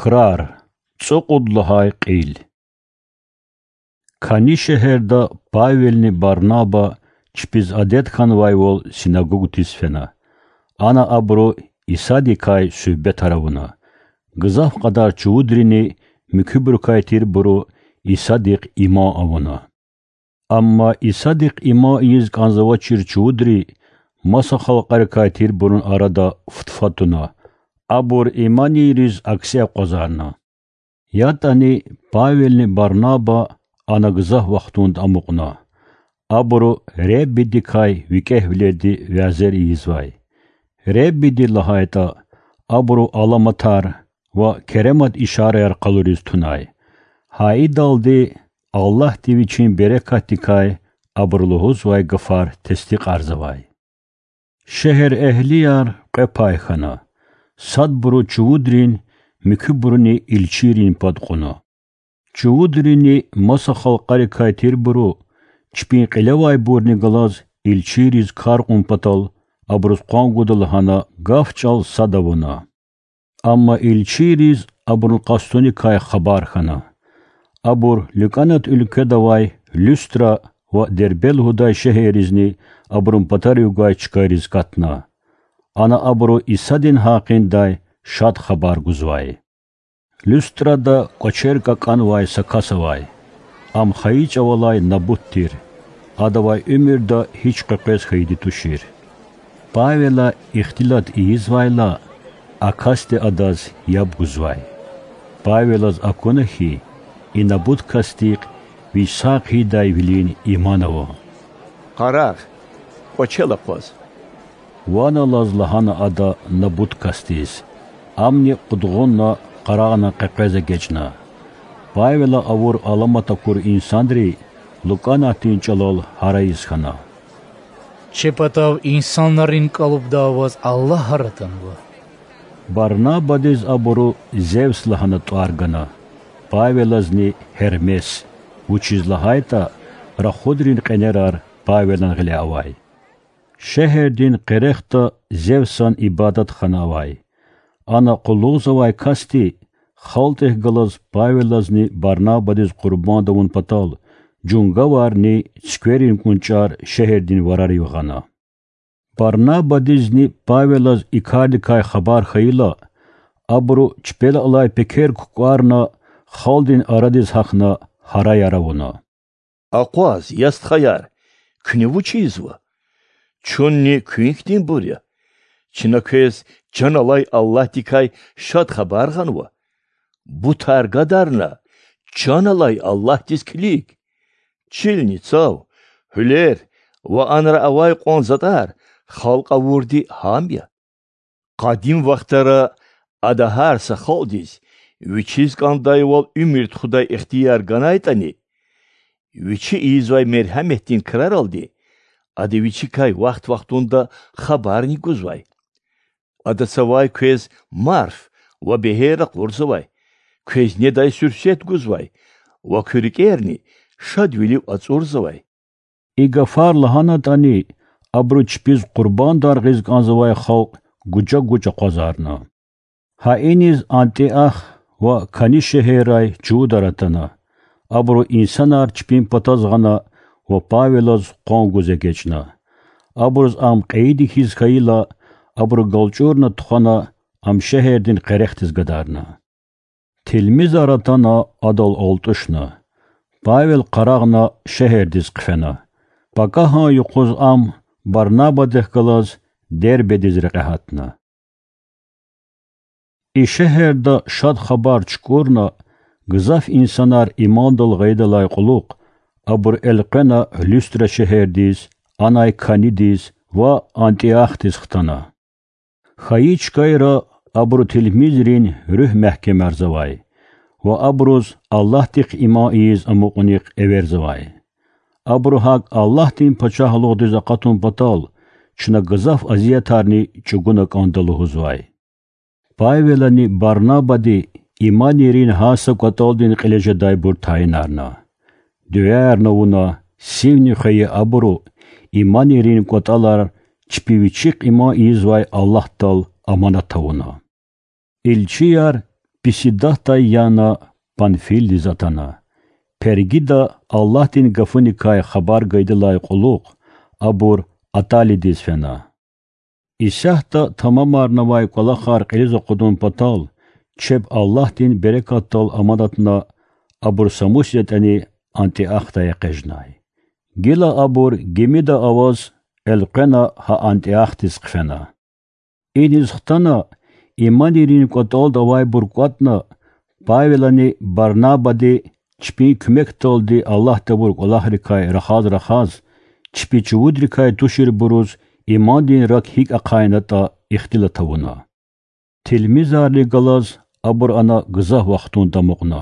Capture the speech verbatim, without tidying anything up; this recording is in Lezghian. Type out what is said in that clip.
Крар. ЦӀукьуд лагьай кьил. Кани шегьерда Павелни Барнаба чпиз адет хьанвайвал синагогдиз фена. Ана абуру Исадикай суьгьбетар авуна. Гзаф кьадар чувудрини муькуьбурукай тирбуру Исадихъ иман авуна. Амма Исадихъ иман ийиз кӀанзавачир чувудри маса халкьарикай тирбурун арада футфа туна, абур иманийриз акси акъвазарна. ЯтӀани Павелни Барнаба ана гзаф вахтунда амукьна. Абуру Худадикай викӀегьвилелди вязер ийизвай. Худадиди лагьайтӀа, абуру аламатар ва керемат ишараяр къалуриз тунай. Гьа идалди Аллагьди Вичин берекатдикай абуру лугьузвай гафар тестикьарзавай. Шегьерэгьлияр кьве пай хьана: садбуру чувудрин, муькуьбуруни илчийрин пад кьуна. Чувудрини маса халкьарикай тирбуру, чпин кьилевайбурни галаз илчийриз кар кьун патал, абуруз къван гуда лагьана гаф-чӀал сад авуна. Амма илчийриз абурун къастуникай хабар хьана. Абур ЛукӀанат уьлкведа авай Люстра ва Дербе лугьудай шегьерризни абурун патарив гвай чкайриз катна. Ана абуру Исадин гьакъиндай Шад Хабар гузвай. Люстрада кӀвачер кӀакӀанвай са кас авай. Ам хайи чӀавалай набут тир, адавай уьмуьрда гьич къекъвез хьайиди тушир. Павела ихтилат ийизвайла, а касди адаз яб гузвай. Павелаз акуна хьи, и набут касдихъ вич сагъ хъийидайвилин иман ава. Къарагъ, кӀвачел акъваз,— ван алаз лагьана ада набут касдиз. Амни къудгъунна къарагъна къекъвез эгечӀна. Павела авур аламат акур инсанри ЛукӀанатдин чӀалал гьарайиз хьана: Чи патав инсанрин кӀалубда аваз Аллагь гьар атанва. Барнабадиз абуру Зевс лагьана тӀвар гана, Павелазни Гьермес, вучиз лагьайтӀа рахудрин кьенерар Павелан гъиле авай. Шегьердин къерехда Зевсан ибадатхана авай. Ана къуллугъзавай касди халкьдихъ галаз Павелазни Барнабадиз къурбанд авун патал жунгаварни цуькверин кӀунчӀар шегьердин варарив гъана. Барнабадизни Павелаз и кардикай хабар хьайила, абуру чпел алай пекер кукӀварна, халкьдин арадиз гьахьна, гьараяр авуна: Акъваз, я стхаяр, куьне вуч ийизва? Чунни куьн хьтинбур я. Чна квез чан алай Аллагьдикай Шад Хабар гъанва. Бутар гадарна, чан алай Аллагьдиз килиг. Чилни цав, гьуьлер ва анра авай кьван затӀар халкь авурди гьам я. Къадим вахтара Ада гьар са халкьдиз вичиз кӀандайвал уьмуьр тухудай ихтияр ганайтӀани, Вичи ийизвай мергьяметдин краралди Ада Вичикай вахт-вахтунда хабарни гузвай. Ада цавай квез марф ва бегьер ракъурзавай, квез недай суьрсет гузвай ва куь рикӀерни шадвилив ацӀурзавай. И гафар лагьанатӀани, абуру чпиз къурбандар гъиз кӀанзавай халкь гужа-гуж акъвазарна. Гьа иниз Антиох ва Кани шегьеррай чувудар атана. Абуру инсанар чпин патаз гъана ва Павелаз къван гуз эгечӀна. Абуруз ам кьейиди хьиз хьайила, абуру галчӀурна тухвана, ам шегьердин къерехдиз гадарна. Тилмизар атана адал алтӀушна. Павел къарагъна шегьердиз хъфена. Пакагьан юкъуз ам Барнабадихъ галаз Дербедиз рекье гьатна. И шегьерда Шад Хабар чукӀурна, гзаф инсанар имандал гъайидалай кьулухъ, абур элкъвена Люстра шегьердиз, анай Канидиз ва Антиохдиз хтана. Хайи чкайра абуру тилмизрин руьгь мягькемарзавай ва абуруз Аллагьдихъ иман ийиз амукьунихъ эверзавай. Абуру гьакӀ Аллагьдин Пачагьлугъдиз акъатун патал чна гзаф азиятарни чӀугуна кӀанда лугьузвай. Павелани Барнабади иманийрин гьар са кӀватӀалдин кьиле жедайбур тайинарна. Дуьаярни авуна, сивни хвейи абуру иманийрин кӀватӀалар чпи вичихъ иман ийизвай Аллагьдал аманат авуна. Илчияр Писидатдай яна, Панфилдиз атана. Пергида Аллагьдин гафуникай хабар гайидалай кьулухъ абур Атталидиз фена. Исятда тамамарнавай кӀвалахар кьилиз акъудун патал, чеб Аллагьдин берекатдал аманатна, абур Самусиз ятӀани Антиохдай экъечӀнай. Гила абур гимида аваз элкъвена гьа Антиохдиз хъфена. Иниз хтана, иманийрин кӀватӀалда авайбур кӀватӀна, Павелани Барнабади чпин куьмекдалди Аллагьди авур кӀвалахрикай рахаз-рахаз, чпи чувудрикай туширбуруз имандин рак гьикӀ ахъайнатӀа ихтилат авуна. Тилмизарни галаз абур ана гзаф вахтунда амукьна.